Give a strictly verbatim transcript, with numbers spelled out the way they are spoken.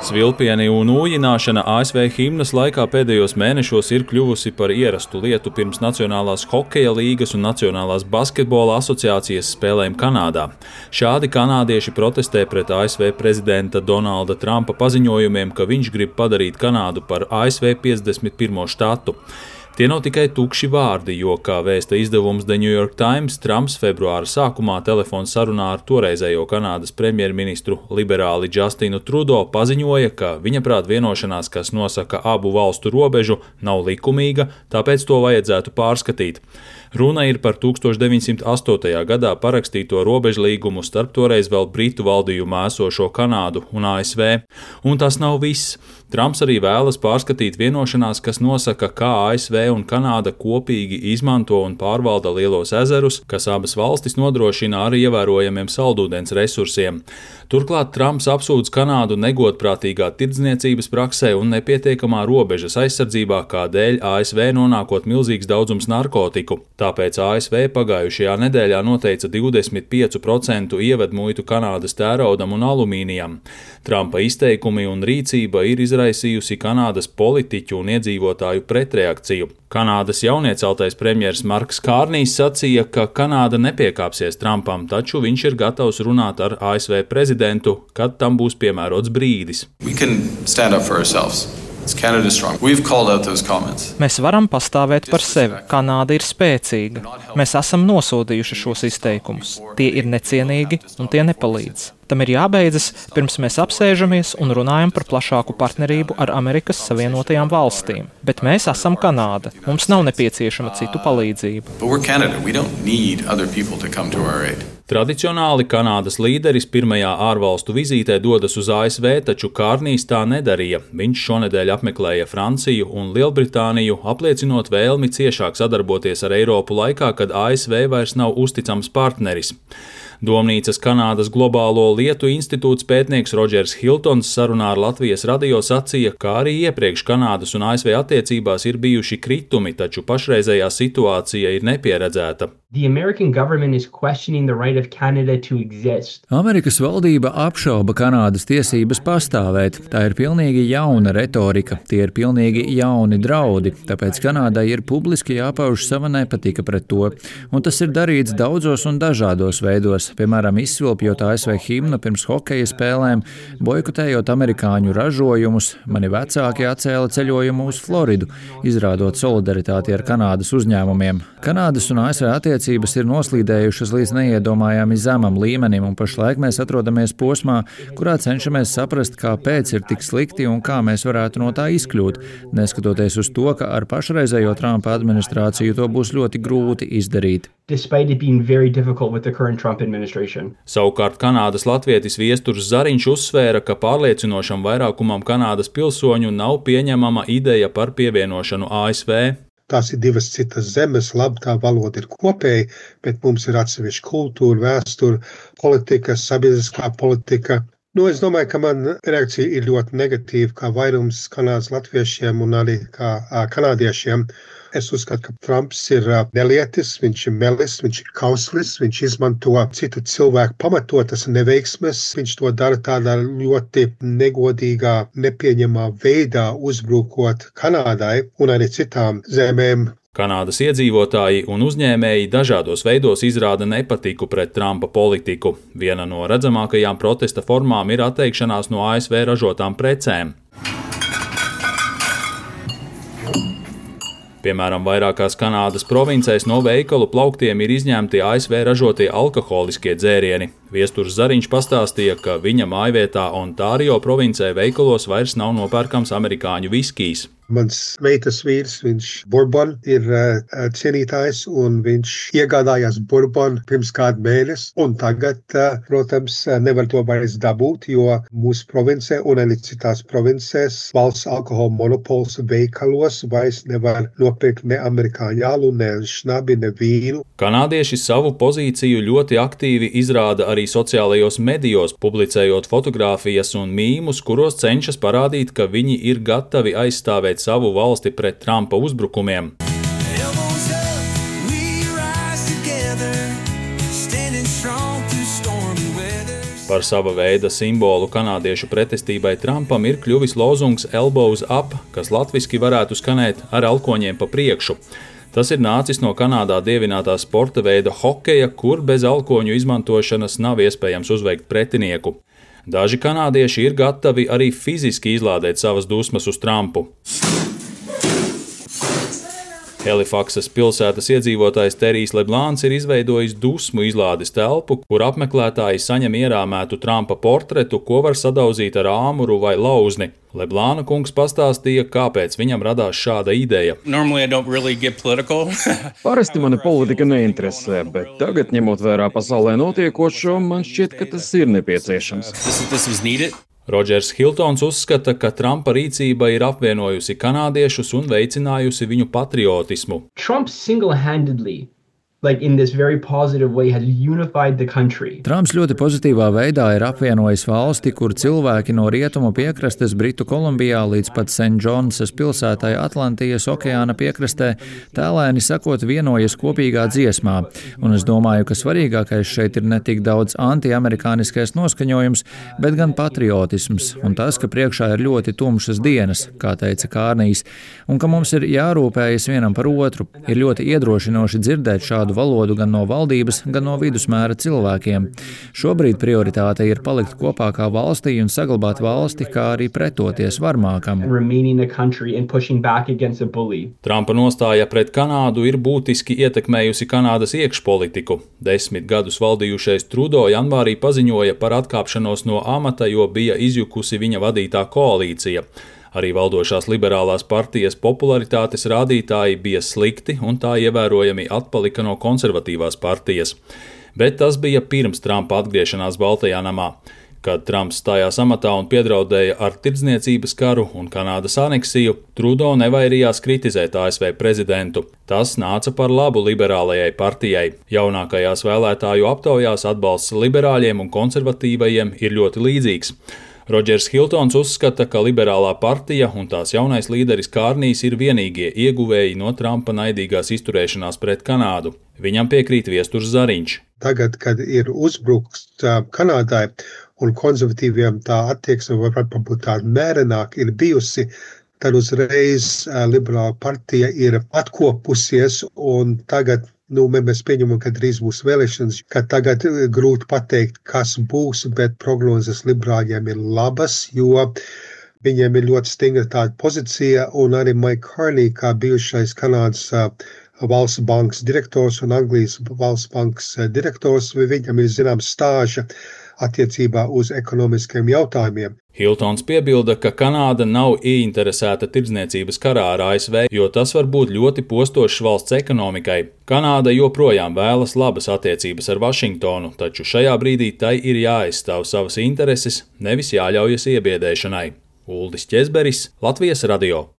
Svilpieni un ūjināšana A S V himnas laikā pēdējos mēnešos ir kļuvusi par ierastu lietu pirms Nacionālās hokeja līgas un Nacionālās basketbola asociācijas spēlēm Kanādā. Šādi kanādieši protestē pret A S V prezidenta Donalda Trumpa paziņojumiem, ka viņš grib padarīt Kanādu par A S V piecdesmit pirmo štatu. Tie nav tikai tukši vārdi, jo, kā vēsta izdevums The New York Times, Trumps februāra sākumā telefona sarunā ar toreizējo Kanādas premjerministru liberāli Justinu Trudeau paziņoja, ka viņaprāt vienošanās, kas nosaka abu valstu robežu, nav likumīga, tāpēc to vajadzētu pārskatīt. Runa ir par tūkstoš deviņsimt astotajā gadā parakstīto robežlīgumu starp toreiz vēl Britu valdījumā esošo Kanādu un A S V. Un tas nav viss. Trumps arī vēlas pārskatīt vienošanās, kas nosaka, kā A S V un Kanāda kopīgi izmanto un pārvalda lielos ezerus, kas abas valstis nodrošina ar ievērojamiem saldūdens resursiem. Turklāt Trumps apsūdz Kanādu negodprātīgā tirdzniecības praksē un nepietiekamā robežas aizsardzībā, kā dēļ A S V nonākot milzīgs daudzums narkotiku. Tāpēc A S V pagājušajā nedēļā noteica divdesmit pieci procenti ievedmuitu Kanādas tēraudam un alumīnijam. Trumpa izteikumi un rīcība ir izraisījusi Kanādas politiķu un iedzīvotāju pretreakciju. Kanādas jaunieceltais premjers Marks Kārnijs sacīja, ka Kanāda nepiekāpsies Trumpam, taču viņš ir gatavs runāt ar A S V prezidentu, kad tam būs piemērots brīdis. Mēs varam pastāvēt par sevi. Kanāda ir spēcīga. Mēs esam nosodījuši šos izteikumus. Tie ir necienīgi un tie nepalīdz. Tam ir jābeidzas, pirms mēs apsēžamies un runājam par plašāku partnerību ar Amerikas Savienotajām valstīm. Bet mēs esam Kanāda. Mums nav nepieciešama citu palīdzība. Tradicionāli Kanādas līderis pirmajā ārvalstu vizītē dodas uz A S V, taču Kārnijs tā nedarīja. Viņš šonedēļ apmeklēja Franciju un Lielbritāniju, apliecinot vēlmi ciešāk sadarboties ar Eiropu laikā, kad A S V vairs nav uzticams partneris. Domnīcas Kanādas globālo lietu institūts pētnieks Rodžers Hiltons sarunā ar Latvijas radio sacīja, ka arī iepriekš Kanādas un A S V attiecībās ir bijuši kritumi, taču pašreizējā situācija ir nepieredzēta. Amerikas valdība apšauba Kanādas tiesības pastāvēt. Tā ir pilnīgi jauna retorika, tie ir pilnīgi jauni draudi, tāpēc Kanādai ir publiski jāpauž sava nepatika pret to. Un tas ir darīts daudzos un dažādos veidos, piemēram, izsvilpjot A S V himnu pirms hokeja spēlēm, boikotējot amerikāņu ražojumus. Mani vecāki atcēla ceļojumu uz Floridu, izrādot solidaritāti ar Kanādas uzņēmumiem. Kanādas un A S V attiecības ir noslīdējušas līdz neiedomājami zemam līmenim, un pašlaik mēs atrodamies posmā, kurā cenšamies saprast, kāpēc ir tik slikti un kā mēs varētu no tā izkļūt, neskatoties uz to, ka ar pašreizējo Trumpa administrāciju to būs ļoti grūti izdarīt. Savukārt Kanādas latvietis Viesturs Zariņš uzsvēra, ka pārliecinošam vairākumam Kanādas pilsoņu nav pieņemama ideja par pievienošanu A S V. Tās ir divas citas zemes, labi, tā valoda ir kopēja, bet mums ir atsevišķa kultūra, vēsture, politika, sabiedriskā politika. Nu, es domāju, ka man reakcija ir ļoti negatīva, kā vairums Kanādas latviešiem un arī kā kanādiešiem. Es uzskatu, ka Trumps ir nelietis, viņš ir melis, viņš ir kauslis, viņš izmanto citu cilvēku pamatotas neveiksmes, viņš to dara tādā ļoti negodīgā, nepieņemā veidā, uzbrukot Kanādai un arī citām zemēm. Kanādas iedzīvotāji un uzņēmēji dažādos veidos izrāda nepatiku pret Trumpa politiku. Viena no redzamākajām protesta formām ir atteikšanās no A S V ražotām precēm. Piemēram, vairākās Kanādas provincēs no veikalu plauktiem ir izņemti A S V ražotie alkoholiskie dzērieni. Viesturs Zariņš pastāstīja, ka viņa mājvietā Ontārio provincē veikalos vairs nav nopērkams amerikāņu viskijs. Mans meitas vīrs, viņš bourbon ir uh, cienītājs un viņš iegādājās bourbon pirms kādu mēnesi. Un tagad, uh, protams, nevar to vairs dabūt, jo mūsu provincē un arī citās provincēs valsts alkohola monopols veikalos vairs nevar nopirkt ne amerikāņu alu, ne šnabi, ne vīnu. Kanādieši savu pozīciju ļoti aktīvi izrāda arī sociālajos medijos, publicējot fotogrāfijas un mīmus, kuros cenšas parādīt, ka viņi ir gatavi aizstāvēt savu valsti pret Trumpa uzbrukumiem. Par sava veida simbolu kanādiešu pretestībai Trumpam ir kļuvis lozungs Elbows up, kas latviski varētu skanēt ar alkoņiem pa priekšu. Tas ir nācis no Kanādā dievinātā sporta veida hokeja, kur bez alkoņu izmantošanas nav iespējams uzveikt pretinieku. Daži kanādieši ir gatavi arī fiziski izlādēt savas dusmas uz Trumpu. Halifaksas pilsētas iedzīvotājs Terijs Leblāns ir izveidojis dusmu izlādes telpu, kur apmeklētāji saņem ierāmētu Trumpa portretu, ko var sadauzīt ar āmuru vai lauzni. Leblāna kungs pastāstīja, kāpēc viņam radās šāda ideja. Really Parasti mani politika neinteresē, bet tagad, ņemot vērā pasaulē notiekošo, man šķiet, ka tas ir nepieciešams. This, this Rodžers Hiltons uzskata, ka Trumpa rīcība ir apvienojusi kanādiešus un veicinājusi viņu patriotismu. Trump single-handedly, like in this very positive way, has unified the country. Trumps ļoti pozitīvā veidā ir apvienojis valsti, kur cilvēki no rietumu piekrastes Britu Kolumbijā līdz pat Saint Johnsas pilsētai Atlantijas okeāna piekrastē tēlēni sakot vienojas kopīgā dziesmā. Un es domāju, ka svarīgākais šeit ir ne tik daudz antiamerikāniskais noskaņojums, bet gan patriotisms un tas, ka priekšā ir ļoti tumšas dienas, kā teica Kārnijs, un ka mums ir jārūpējas vienam par otru. Ir ļoti iedrošinoši dzirdēt šādu valodu gan no valdības, gan no vidusmēra cilvēkiem. Šobrīd prioritāte ir palikt kopā kā valstī un saglabāt valsti, kā arī pretoties varmākam. Trumpa nostāja pret Kanādu ir būtiski ietekmējusi Kanādas iekšpolitiku. Desmit gadus valdījušais Trudeau janvārī paziņoja par atkāpšanos no amata, jo bija izjukusi viņa vadītā koalīcija. Arī valdošās liberālās partijas popularitātes rādītāji bija slikti un tā ievērojami atpalika no konservatīvās partijas. Bet tas bija pirms Trumpa atgriešanās Baltajā namā. Kad Trumps stājās amatā un piedraudēja ar tirdzniecības karu un Kanādas aneksiju, Trudeau nevairījās kritizēt A S V prezidentu. Tas nāca par labu liberālajai partijai. Jaunākajās vēlētāju aptaujās atbalsts liberāļiem un konservatīvajiem ir ļoti līdzīgs. Rodžers Hiltons uzskata, ka liberālā partija un tās jaunais līderis Kārnijs ir vienīgie ieguvēji no Trumpa naidīgās izturēšanās pret Kanādu. Viņam piekrīt Viesturs Zariņš. Tagad, kad ir uzbrukts Kanādai un konservatīviem tā attieksme varbūt būt tāda mērenāk ir bijusi, tad uzreiz liberāla partija ir atkopusies un tagad Nu, mēs pieņemam, ka drīz būs vēlēšanas, ka tagad grūti pateikt, kas būs, bet prognozes liberāļiem ir labas, jo viņiem ir ļoti stingra tāda pozīcija, un arī Mike Carney, kā bijušais Kanādas valsts bankas direktors un Anglijas valsts bankas direktors, viņam ir zināms stāža attiecībā uz ekonomiskiem jautājumiem. Hiltons piebilda, ka Kanāda nav ieinteresēta tirdzniecības karā ar A S V, jo tas var būt ļoti postošs valsts ekonomikai. Kanāda joprojām vēlas labas attiecības ar Vašingtonu, taču šajā brīdī tai ir jāaizstāv savas intereses, nevis jāļaujas iebiedēšanai. Uldis Ķezberis, Latvijas radio.